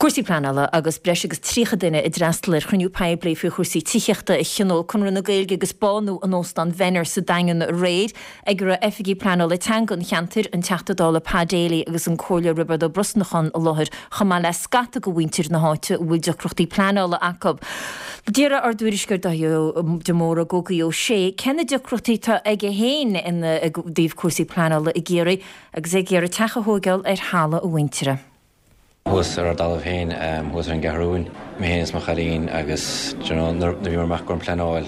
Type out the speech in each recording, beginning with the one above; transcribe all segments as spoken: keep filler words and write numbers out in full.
Cúrsaí pleanála agus breis agus tríocha duine a d'fhreastail ar chruinniú poiblí faoi chúrsaí tithíochta a thionóil Conradh na Gaeilge agus Bánú in Óstán Venner sa Daingean aréir ag a raibh oifigigh pleanála teanga an cheantair an Teachta Dála Pa Daly agus an Comhairleoir Roibeard Ó Brosnacháin i láthair chomh maith le scata de mhuintir na háite a bhfuil deacrachtaí pleanála acu. D'iarr ár dtuairisceoir Dáithí de Mórdha Gógaí Ó Sé cé na deacrachtaí atá aige féin ina dtaobh cúrsaí pleanála i gCiarraí agus é ag iarraidh teach a thógáil ar thalamh a mhuintire. Thuas ar ár dtalamh féin thuas ar an gCeathrúin, mé féin is mo chailín agus nuair a bhí amach gon pleanáil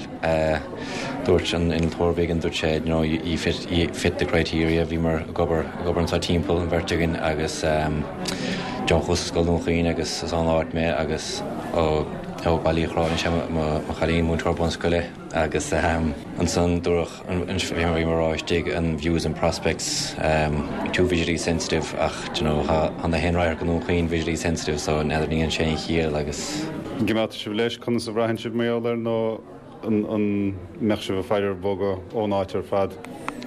dúirt an innealtóir bhig dúirt sé you know, you fit, you fit the criteria bhí mar ag obair ag obair anseo timpeall an bheirt againn agus John chuas Scoil Dhún Chaoin agus is an áit mé agus ó ó Baile Chráin sé mo chailín múinteoir bunscoile agus ansan dúradh bhí mar istigh an views and prospects um, too visually sensitive ach you know, an na haon radharc Dhún Chaoin visually sensitive so n'fheadar ní an sé an chiall agus. Gimeá sibh leis conas a bhraitheann sibh mar gheall air nó an mbeadh sibh ag faire bogadh ón áit ar fad.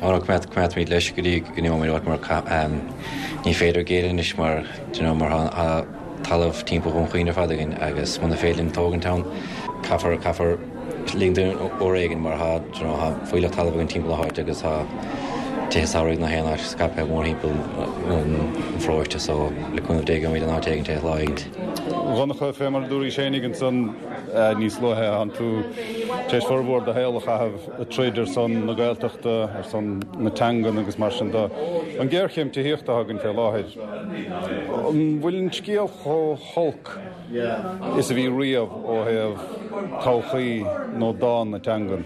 Ó coimeádfaimid leis go dtí go n-imeoimid mar ní féidir géilleadh mar you know, mar talamh timpeall Dhún Chaoin ar fad againn agus muna féidir linn tógaint ann caithfear caithfear ligean uair éigin mar tá fuílleach talamh againn timpeall na háite agus tá tithe samhraidh na haon áit scaipthe mórthimpeall an pharóiste so le cúnamh Dé gheobhaimid an áit éigin lá éigin. Dhonncha fé mar dúraís féinig ansan níos luaithe an tú tar éis formhór do shaol a chaitheamh ag troid ar son na Gaeltachta ar son na teangan agus mar sin de an géarchéim tithíochta againn fé láthair. An bhfuil an scéal chomh holc is a bhí riamh ó thaobh todhchaí nó dán na teangan.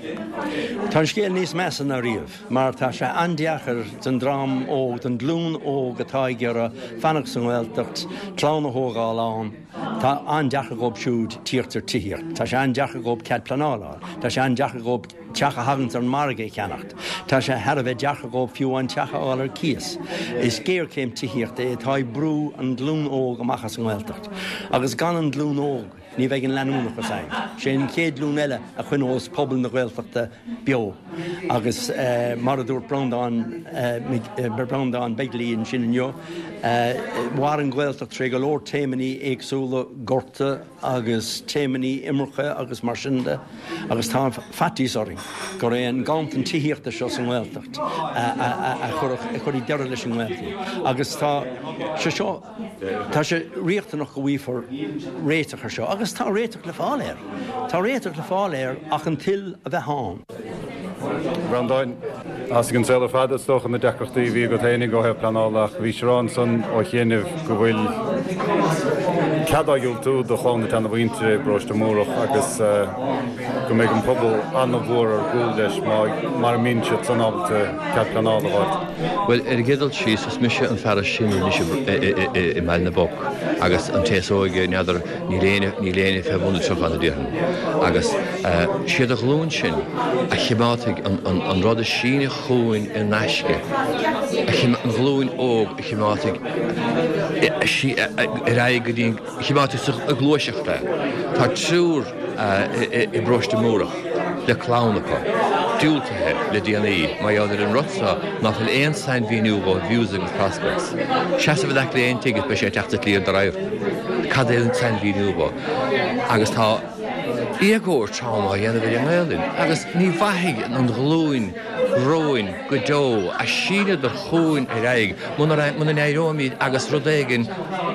Tá an scéal níos measa ná riamh, mar tá sé an-deacair don dream óg don ghlúin óg atá ag iarraidh fanacht sa nGaeltacht, clann a thógáil ann, Tá an-deacair dóibh siúd tíocht ar tithíocht. Tá sé an-deacair dóibh cead pleanála, Tá sé an-deacair dóibh teach a thagann ar an margadh a cheannacht. Tá sé thar a bheith deacair dóibh fiú an teach a fháil ar cíos. Is géarchéim tithíochta é atá ag brú an ghlúin óg amach as an nGaeltacht. Agus gan an ghlúin óg ní bheidh an leanúnachas ann. Sé an chéad ghlúin eile a choinneos pobal na Gaeltachta beo. agus uh, mar a dúirt Breandán uh, Breandán Begley ansin inniu, uh, mhair an Ghaeltacht trí go leor taomannaí éagsúla gorta agus taomannaí imirce agus mar sin de, agus tá faitíos orainn gur é an ganntan tithíochta seo sa nGaeltacht a chuirfidh deireadh leis an nGaeltacht. Agus tá sé seo Tá sé riachtanach go bhfaighfear réiteach air seo, agus tá réiteach le fáil air. Tá réiteach le fáil air ach an toil a bheith ann. Breandán as an saol ar fad is dócha na deacrachtaí bhí agat féinig ó thaobh pleanála ach bhí sé ansan ó chianaibh go bhfuil cead á dhiúltú do chlann na seanamhuintire i bparóiste Múrach agus go mbeidh an pobal an-mhór ar gcúl leis mar a mbíonn siad san ábalta cead pleanála a fháil. Well ar an gcéad dul síos is mise an fear is sine anois i mBaile na bPoc agus an té is óige n'fheadar níl éinne níl éinne fé bhun na tríocha ann a déarfainn. Agus siad an ghlúin sin a chimeádfaidh an rud a síneadh chugainn in aisce, an ghlúin óg a chimeádfaidh ar aghaidh go dtí an chimeádfaidh sa ghluaiseacht é. Tá triúr i bparóiste Múrach le clann acu, diúltaithe le déanaí mar gheall ar an rud seo ná fuil aon sainmhíniú dhó views agus prospects. Seasamh in aice le aon tigh is beidh sé ag teacht sa tslí ar do radharc. Cad é an sainmhíniú dhó? Agus tá éagóir trom á dhéanamh ar an nGaelainn agus ní mhairfidh an ghlúin romhainn go deo a shíneadar chugainn ar aghaidh muna muna n-éireoimid agus rud éigin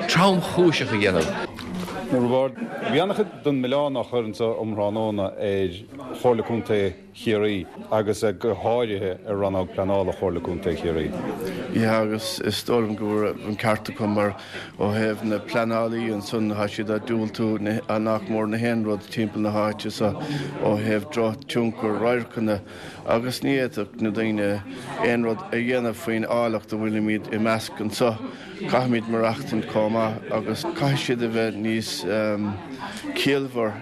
tromchúiseach a dhéanamh. A Roibeaird, bhí an-chuid den mhilleán á chur anseo um thráthnóna ar Chomhairle Contae Chiarraí agus go háirithe ar rannóg pleanála Chomhairle Contae Chiarraí. Yeah agus is dóigh liom go raibh an ceart acu mar ó thaobh na pleanálaí ansan tá siad ag diúltú nach mór na haon rud timpeall na háite so ó thaobh drochthionchar radharcanna agus ní fhéadfadh na daoine aon rud a dhéanamh faoin áilleacht a bhfuilimid i measc anseo. Caithfimid maireachtaint chomh maith agus caithfidh siad a bheith níos ciallmhar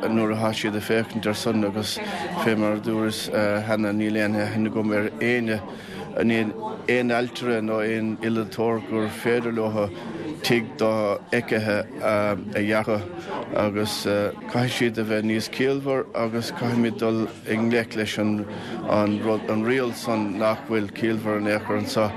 nuair atá siad ag féachaint ar son agus fé mar a dúras cheana níl aon aithne agam ar éinne aon ailtire nó aon innealtóir gur féidir leo tigh dofheicthe a dhearadh agus caithfidh siad a bheith níos ciallmhar agus caithfimid dul i ngleic leis an an rud an riail san nach bhfuil ciallmhar in aon chor anseo.